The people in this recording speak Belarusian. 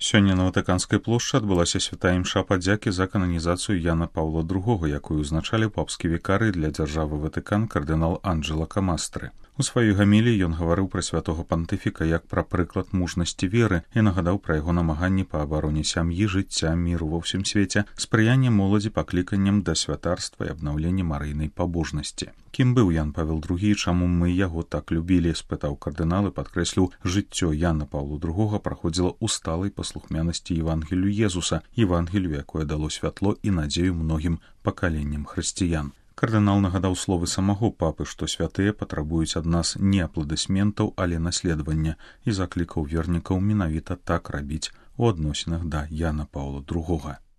Сёння на Ватыканскай плошчы адбылася святая імша падзякі за кананізацыю Яна Паўла II, якую узначаліў папскі вікарый для дзяржавы Ватыкан кардынал Анджэло Камастры. У сваёй гаміліі ён гаварыў пра святога пантыфіка як пра прыклад мужнасці веры і нагадаў пра яго намаганні па абароне сям'і, жыцця, міру ва ўсім свеце, спрыянне моладзі пакліканням да святарства і абнаўлення марыйнай пабожнасці. Кім быў Ян Павел II і чаму мы яго так любілі, спытаў кардынал і падкрэсліў, жыццё Яна Паўла II праходзіла ў сталай паслухмянасці Евангелію Езуса, Евангелію, якое дало святло і надзею многім пакаленням хрысціян. Кардынал нагадаў словы самого папы, што святыя патрабуюць ад нас не апладысментаў, але наследавання, і заклікаў вернікаў менавіта так рабіць у адносінах да Яна Паўла II.